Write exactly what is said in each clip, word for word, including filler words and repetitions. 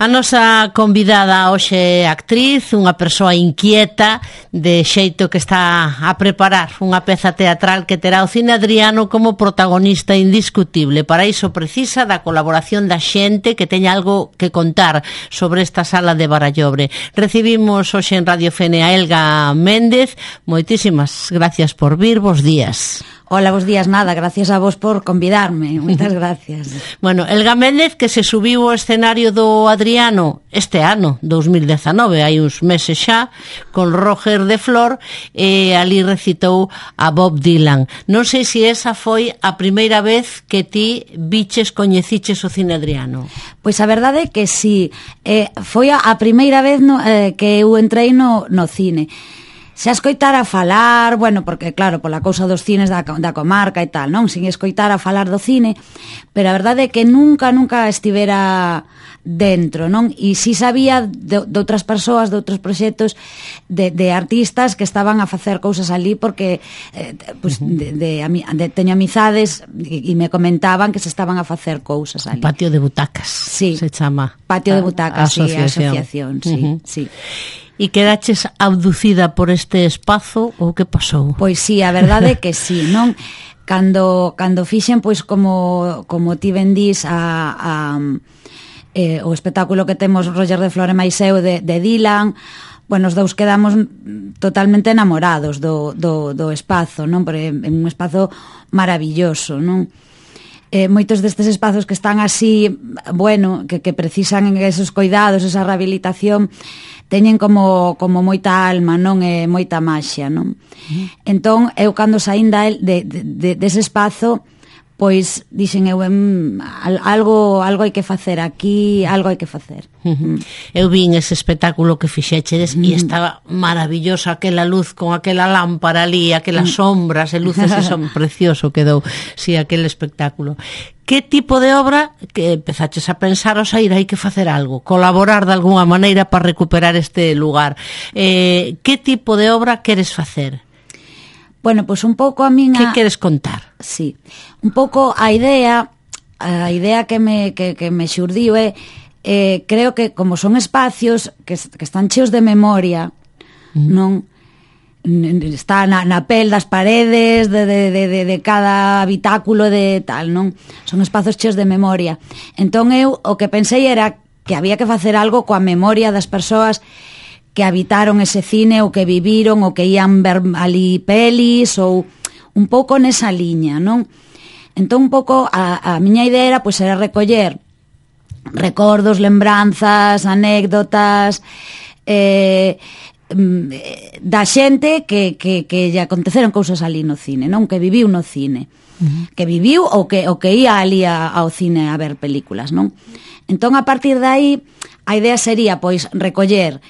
A nosa convidada hoxe é actriz, unha persoa inquieta, de xeito que está a preparar unha peza teatral que terá o Cine Adriano como protagonista indiscutible. Para iso precisa da colaboración da xente que teña algo que contar sobre esta sala de Barallobre. Recibimos hoxe en Radio Fene a Elga Méndez. Moitísimas gracias por vir, bos días. Hola, bos días, nada, gracias a vos por convidarme, moitas gracias. Bueno, Elga Méndez, que se subiu ao escenario do Adriano este ano, dos mil dezanove, hai uns meses xa, con Roger de Flor, e ali recitou a Bob Dylan. Non sei se esa foi a primeira vez que ti biches, coñeciches o Cine Adriano. Pois a verdade é que sí, eh, foi a, a primeira vez no, eh, que eu entrei no, no cine. Se a escoitar a falar, bueno, porque claro, pola cousa dos cines da, da comarca e tal, non? Sin escoitar a falar do cine, pero a verdade é que nunca, nunca estivera dentro, non? E si sabía de, de outras persoas, de outros proxectos, de, de artistas que estaban a facer cousas ali porque eh, pues, de, de, de, teño amizades e, e me comentaban que se estaban a facer cousas ali. Patio de butacas, sí, se chama. Patio de butacas, a, a sí, a asociación, sí, uh-huh. sí. E quedaches abducida por este espazo ou que pasou? Pois sí, a verdade é que sí, non? Cando, cando fixen, pois como, como ti ben dís, a, a, eh, o espectáculo que temos Roger de Flor e máis eu de, de Dylan, bueno, os dous quedamos totalmente enamorados do, do, do espazo, non? Porque é un espazo maravilloso, non? Eh, moitos destes espazos que están así, bueno, que, que precisan esos cuidados, esa rehabilitación, teñen como, como moita alma, non? E moita maxia, non? Uh-huh. Entón, eu cando saín da el, de, de, de, dese espazo, pois dixen eu, em, algo algo hai que facer aquí, algo hai que facer. Uh-huh. Eu vin ese espectáculo que fixechedes uh-huh. e estaba maravillosa aquela luz con aquela lámpara ali, aquelas uh-huh. sombras e luces, eso precioso quedou, si, sí, aquel espectáculo. Que tipo de obra que empezaches a pensar ao sair hai que facer algo, colaborar de alguna maneira para recuperar este lugar? Eh, que tipo de obra queres facer? Bueno, pois pues un pouco a miña... Que queres contar? Sí, un pouco a idea, a idea que me, que, que me xurdiu é, eh, creo que como son espacios que, que están cheos de memoria, mm. non? Está na, na pel das paredes de, de, de, de cada habitáculo de tal, non? Son espazos cheos de memoria. Entón eu o que pensei era que había que facer algo coa memoria das persoas que habitaron ese cine ou que viviron ou que ían ver ali pelis ou un pouco nesa liña, non? Entón un pouco a, a miña idea era pois era recoller recordos, lembranzas, anécdotas eh, da xente que, que, que lle aconteceron cousas ali no cine, non? Que viviu no cine, uh-huh. que viviu ou que, ou que ia ali a, ao cine a ver películas, non? Entón a partir de aí a idea sería pois recoller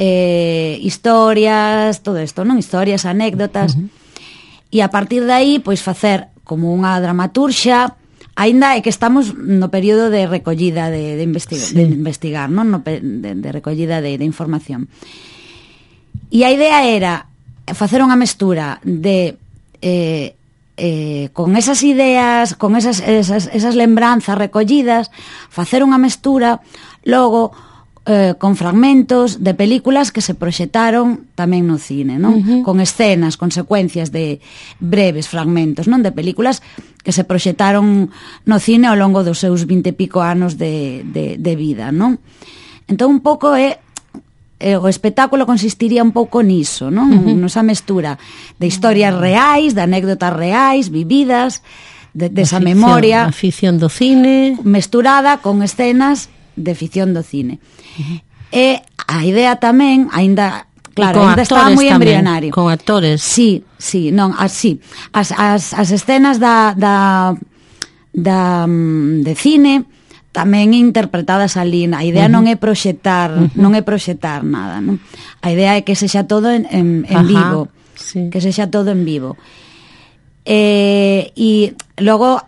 Eh, historias, todo isto, non? Historias, anécdotas, uh-huh. e a partir de aí, pois facer como unha dramaturxa, aínda é que estamos no período de recollida de, de, investiga, sí. de investigar, non? No, de, de recollida de, de información. E a idea era facer unha mestura de eh, eh, con esas ideas, con esas, esas, esas lembranzas recollidas, facer unha mestura, logo Eh, con fragmentos de películas que se proxectaron tamén no cine, non? Uh-huh. Con escenas, con secuencias de breves fragmentos, non? De películas que se proxectaron no cine ao longo dos seus vinte e pico anos de, de, de vida, non? Entón un pouco é eh, o espectáculo consistiría un pouco niso, non? Uh-huh. Nosa mestura de historias reais, de anécdotas reais, vividas, de, de esa memoria, a ficción do cine mesturada con escenas de ficción do cine. Uh-huh. E a idea tamén, aínda, claro, aínda estaba moi embrionario. Con actores. Sí, sí, non, así. As, as, as escenas da, da, da de cine tamén interpretadas ali. A idea uh-huh. non é proxectar, uh-huh. non é proxectar nada, non? A idea é que sexa todo en, en, en vivo, sí. que sexa todo en vivo. Eh, e logo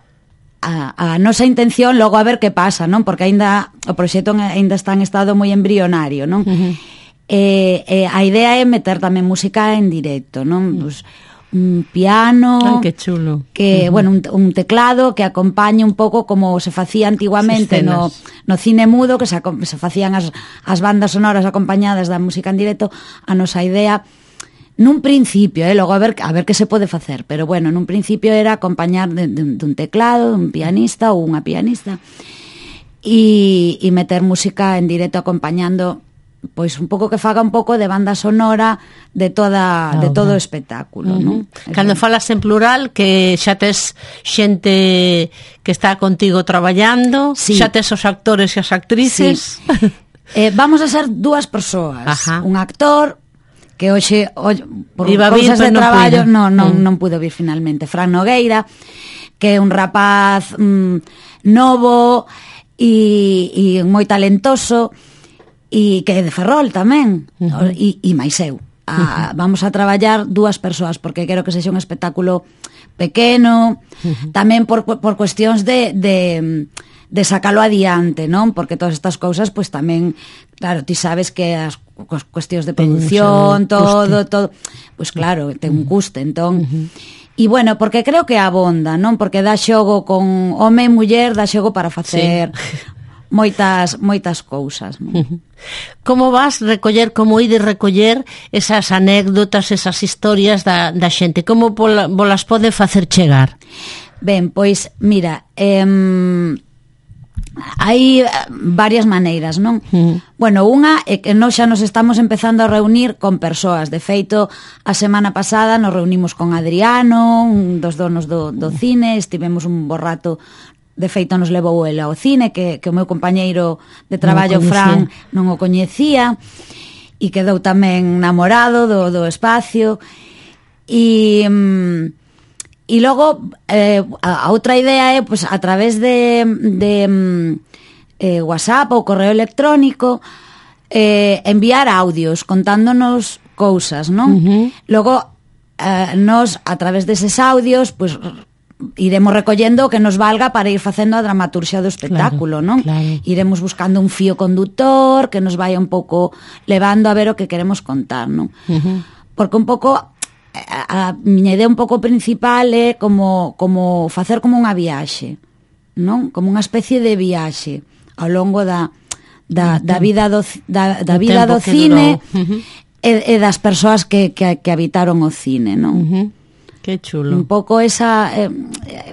A, a nosa intención logo a ver que pasa, non? Porque aínda o proxecto aínda está en estado moi embrionario, non? Uh-huh. Eh, eh, a idea é meter tamén música en directo, non? Pues, un piano, ay, que chulo. Que, uh-huh. bueno, un, un teclado que acompañe un pouco como se facía antiguamente no, no cine mudo, que se, se facían as, as bandas sonoras acompañadas da música en directo. A nosa idea nun principio, eh, logo a ver, a ver que se pode facer, pero bueno, nun principio era acompañar de, de, de un teclado, un pianista ou unha pianista, e, e meter música en directo acompañando, pois un pouco que faga un pouco de banda sonora de toda de todo o espectáculo, uh-huh. non? Cando falas en plural, que xa tes xente que está contigo traballando, sí. Xa tes os actores e as actrices. Sí. eh, vamos a ser dúas persoas, Ajá. un actor que hoxe, hoxe por Iba cousas vir, de traballo non, non, mm. non pudo vir finalmente, Fran Nogueira, que é un rapaz mm, novo e, e moi talentoso, e que é de Ferrol tamén, uh-huh. e, e máis eu. A, uh-huh. Vamos a traballar dúas persoas, porque quero que sexa un espectáculo pequeno, uh-huh. tamén por, por cuestións de, de, de sacalo adiante, non? Porque todas estas cousas, pois tamén, claro, ti sabes que as cuestións de producción, todo, todo, pois claro, ten un custe, entón... Uh-huh. E bueno, porque creo que abonda, non? Porque dá xogo con home e muller, dá xogo para facer... Sí. moitas moitas cousas, non? Como vas recoller, como ides recoller esas anécdotas, esas historias da, da xente? Como pola, bolas pode facer chegar? Ben, pois, mira, eh, hai varias maneiras, non? Uh-huh. Bueno, unha é que nós xa nos estamos empezando a reunir con persoas. De feito, a semana pasada nos reunimos con Adriano, un dos donos do, do cine, estivemos un bo rato. De feito nos levou ele ao cine, que, que o meu compañeiro de traballo, non Fran, non o coñecía, e quedou tamén namorado do, do espacio. E, e logo eh, a, a outra idea é, pues, a través de, de eh, WhatsApp ou correo electrónico, eh, enviar audios contándonos cousas, non? Uh-huh. Logo eh, nos, a través deses audios, pues, iremos recollendo o que nos valga para ir facendo a dramaturxia do espectáculo, claro, non? Claro. Iremos buscando un fío conductor que nos vaya un pouco levando a ver o que queremos contar, non? Uh-huh. Porque un pouco a, a miña idea un pouco principal é como, como facer como unha viaxe, non? Como unha especie de viaxe ao longo da, da, da vida do, da, da vida do cine uh-huh. e, e das persoas que, que, que habitaron o cine, non? Uh-huh. Que chulo. Un pouco esa eh,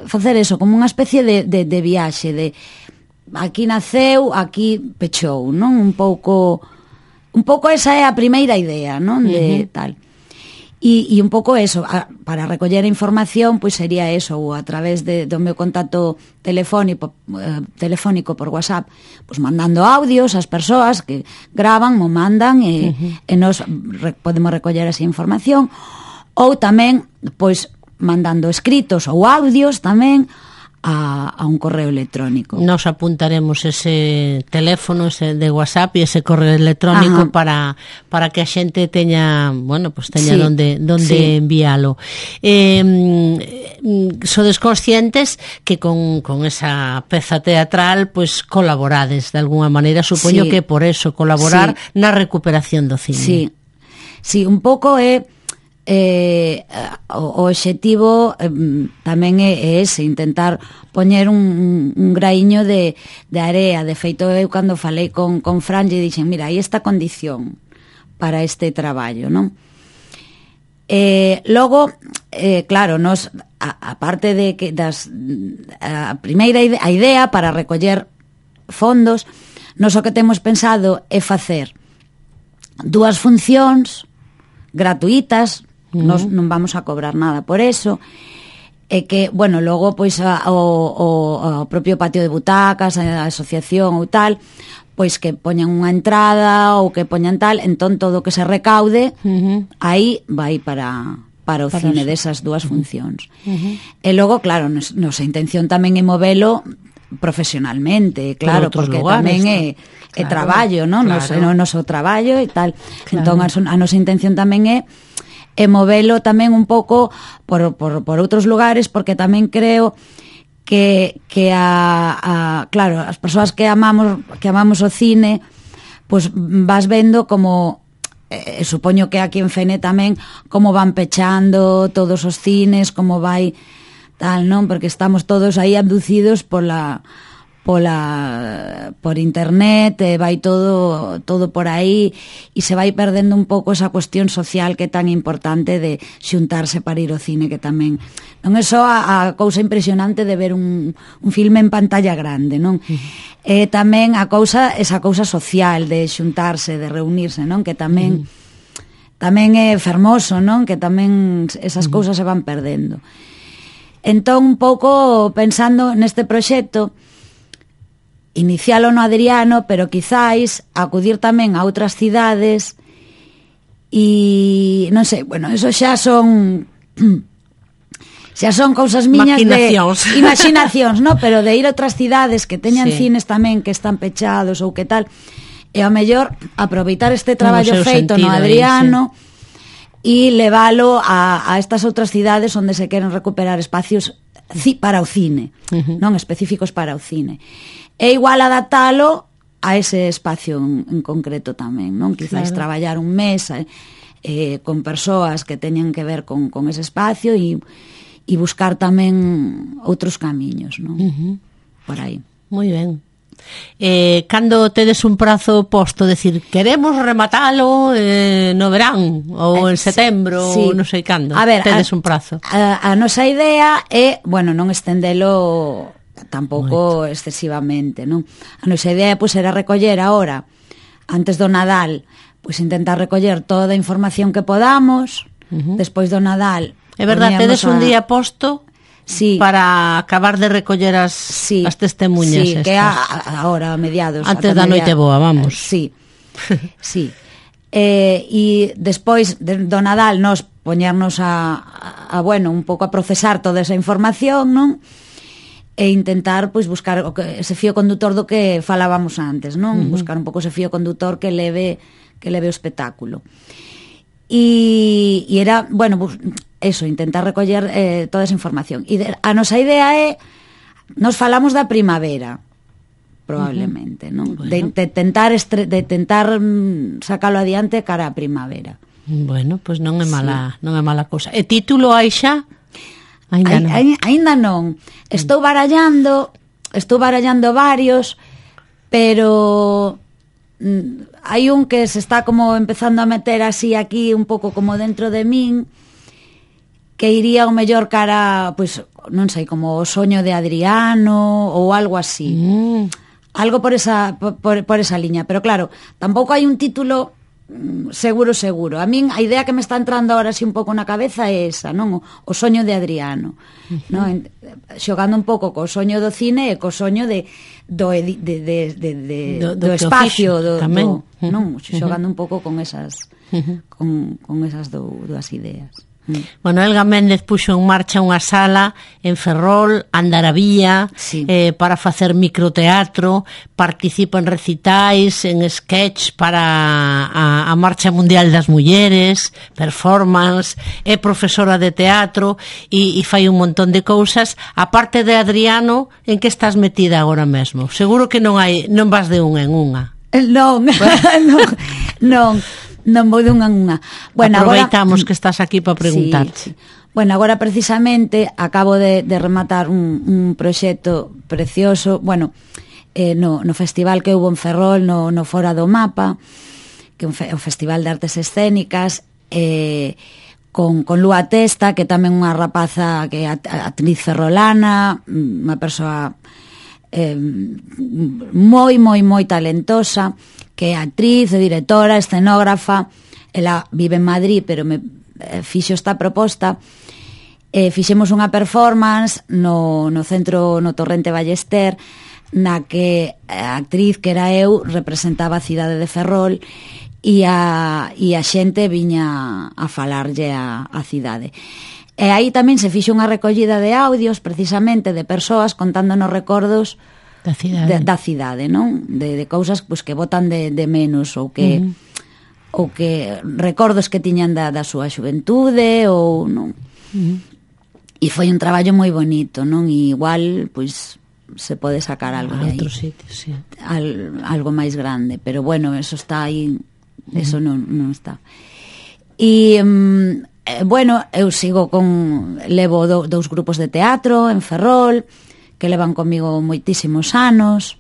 facer eso, como unha especie de, de, de viaxe, de aquí naceu, aquí pechou, non? Un pouco un pouco esa é a primeira idea, non? De uh-huh. tal. E, e un pouco eso, a, para recoller a información, pois sería eso, ou a través de, do meu contacto telefónico, eh, telefónico por WhatsApp, pois mandando audios ás persoas que gravan, mo mandan e, uh-huh. e nos re, podemos recoller esa información. Ou tamén, pois, mandando escritos ou audios tamén a, a un correo electrónico. Nos apuntaremos ese teléfono ese de WhatsApp e ese correo electrónico para, para que a xente teña, bueno, pues teña sí, donde, donde sí. envialo. Eh, sodes conscientes que con, con esa peza teatral pues colaborades de alguna maneira, supoño sí. que por eso colaborar sí. na recuperación do cine. Sí, sí, un pouco é Eh, o, o obxectivo eh, tamén é, é ese, intentar poñer un, un graiño de, de area. De feito, eu cando falei con, con Fran lle dixen, mira, hai esta condición para este traballo, non? Eh, logo, eh, claro, nos, a, a parte de que das, a primeira idea, a idea para recoller fondos, nos o que temos pensado é facer dúas funcións gratuitas. Uh-huh. Nos non vamos a cobrar nada por eso, e que, bueno, logo pois a, o, o, o propio patio de butacas, a asociación ou tal, pois que poñan unha entrada ou que poñan tal, entón todo o que se recaude uh-huh. aí vai para para o para cine eso. Desas dúas funcións. Uh-huh. E logo, claro, nos, nosa intención tamén é movelo profesionalmente, claro, porque lugares, tamén é, claro, é traballo, non? Claro. Nos, no noso traballo e tal. Claro. Entón a, a nosa intención tamén é e movelo tamén un pouco por, por, por outros lugares, porque tamén creo que, que a, a, claro, as persoas que amamos que amamos o cine, pois vas vendo como eh, supoño que aquí en Fene tamén como van pechando todos os cines, como vai tal, non? Porque estamos todos aí abducidos pola pola por internet, eh, vai todo todo por aí e se vai perdendo un pouco esa cuestión social que é tan importante de xuntarse para ir ao cine, que tamén non é só a, a cousa impresionante de ver un, un filme en pantalla grande, non? Uh-huh. É tamén a cousa, esa cousa social de xuntarse, de reunirse, non? Que tamén uh-huh. tamén é fermoso, non? Que tamén esas uh-huh. cousas se van perdendo. Entón, un pouco pensando neste proxecto, inicialo no Adriano, pero quizáis acudir tamén a outras cidades e non sei, bueno, eso xa son xa son cousas miñas de imaginacións, no? Pero de ir a outras cidades que teñan sí. cines tamén que están pechados ou que tal, e ao mellor aproveitar este traballo feito no Adriano e sí. leválo a, a estas outras cidades onde se queren recuperar espacios para o cine, uh-huh. non específicos para o cine. É igual adaptalo a ese espacio en, en concreto tamén, non? Quizáis claro. traballar un mes eh, eh, con persoas que teñan que ver con, con ese espacio e, e buscar tamén outros camiños, non? Uh-huh. Por aí. Moi ben. Eh, cando tedes un prazo posto, decir, queremos rematalo eh, no verán ou en setembro sí. ou non sei cando, a ver, tedes a, un prazo. A, a nosa idea é, bueno, non estendelo tampouco Moito. excesivamente, non? A nosa idea pois, era recoller ahora, antes do Nadal, pois intentar recoller toda a información que podamos, uh-huh. despois do Nadal. É verdade, tedes a... un día posto sí. para acabar de recoller as, sí. as testemunhas. Sí, estas. Que a, a, ahora, a mediados. Antes da noite boa, vamos. Sí, sí. Eh, e despois de, do Nadal nos poñernos a, a, a, bueno, un pouco a procesar toda esa información, non? E intentar pois buscar o que, ese fío condutor do que falábamos antes, non? Uh-huh. Buscar un pouco ese fío condutor que leve que leve o espectáculo. E, e era, bueno, pues, eso, intentar recoller eh, toda esa información. E de, a nosa idea é nos falamos da primavera, probablemente, uh-huh. non? Bueno. De, de tentar estre, de tentar mm, sacalo adiante cara a primavera. Bueno, pois pues non é mala, sí. non é mala cousa. E título hai xa? Ainda non. Ainda non. Estou barallando, estou barallando varios, pero mm, hai un que se está como empezando a meter así aquí un pouco como dentro de min, que iría o mellor cara, pois, non sei, como o soño de Adriano ou algo así. Mm. Algo por esa por, por esa liña, pero claro, tampouco hai un título seguro, seguro. A min a idea que me está entrando ahora así un pouco na cabeza é esa, non? O, o soño de Adriano, uh-huh. non? Xogando un pouco co soño do cine e co soño de do de de de, de, de do, do, do espacio do, do, uh-huh. non? Xogando uh-huh. un pouco con esas uh-huh. con con esas do, dúas ideas. Bueno, Elga Méndez puxo en marcha unha sala en Ferrol, Andaravía, sí. eh, para facer microteatro, participa en recitais, en sketch para a, a Marcha Mundial das Mulleres, performance, é profesora de teatro e, e fai un montón de cousas. A parte de Adriano, en que estás metida agora mesmo? Seguro que non hai, non vas de unha en unha. Non, non, non. Non vou dunha en unha. Bueno, aproveitamos agora, que estás aquí para preguntarte. Sí, sí. Bueno, agora precisamente acabo de, de rematar un, un proxecto precioso, bueno, eh, no, no festival que houve en Ferrol, no, no Fora do Mapa, que é un fe, o Festival de Artes Escénicas, eh, con, con Lúa Testa, que tamén unha rapaza que é actriz ferrolana, unha persoa eh, moi, moi, moi talentosa, que é actriz, directora, escenógrafa. Ela vive en Madrid, pero me eh, fixo esta proposta. Eh, fixemos unha performance no, no centro, no Torrente Ballester, na que a actriz, que era eu, representaba a cidade de Ferrol e a, e a xente viña a falarlle a, a cidade. E aí tamén se fixo unha recollida de audios, precisamente, de persoas contándonos recordos da cidade, de, da cidade, non? De, de cousas pues, que botan de, de menos ou que uh-huh. ou que recordos que tiñan da, da súa xuventude ou non. Uh-huh. E foi un traballo moi bonito, non? E igual, pois, se pode sacar algo a de aí. Outro sitio, sí. Al, algo máis grande, pero bueno, eso está aí eso non, non está. E, um, bueno, eu sigo con... Levo do, dous grupos de teatro en Ferrol, que levan comigo moitísimos anos,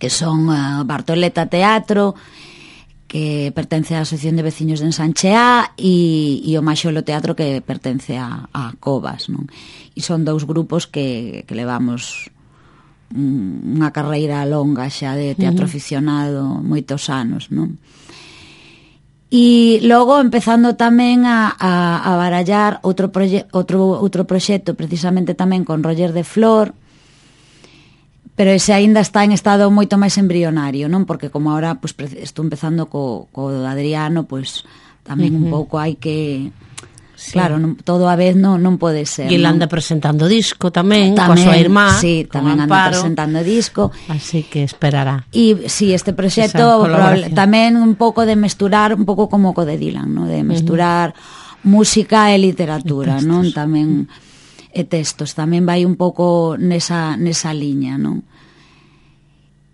que son uh, Bartoleta Teatro, que pertence á Asociación de Veciños de Ensancheá, e, e o Maxolo Teatro, que pertence a, a Covas, non? E son dous grupos que, que levamos unha carreira longa xa de teatro uh-huh. aficionado, moitos anos, non? E logo empezando tamén a, a, a barallar outro, proye, outro, outro proxecto precisamente tamén con Roger de Flor, pero ese aínda está en estado moito máis embrionario, non? Porque como ahora pues, estou empezando co, co Adriano, pues tamén uh-huh. un pouco hai que... Sí. Claro, non, todo a vez non, non pode ser. E ele anda presentando disco tamén, tamén coa súa irmá. Sí, tamén anda presentando disco. Así que esperará. E si sí, este proxecto tamén un pouco de mesturar, un pouco como co de Dylan, ¿no? De mesturar uh-huh. música e literatura, non? Tamén e textos, tamén vai un pouco nesa nesa liña, non?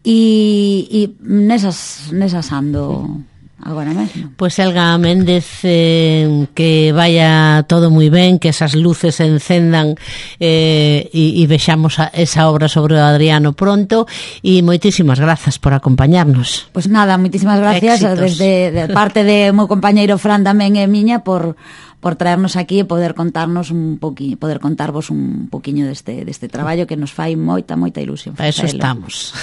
E e nesas nesas ando agora mesmo. Pois Elga Méndez, eh, que vaya todo moi ben, que esas luces se encendan eh, e, e vexamos a, esa obra sobre o Adriano pronto, e moitísimas grazas por acompañarnos. Pois nada, moitísimas gracias Éxitos. desde de parte de meu compañeiro Fran tamén e miña por por traernos aquí e poder contarnos un poquinho, poder contarvos un poquiño deste deste traballo que nos fai moita moita ilusión. Para eso estamos.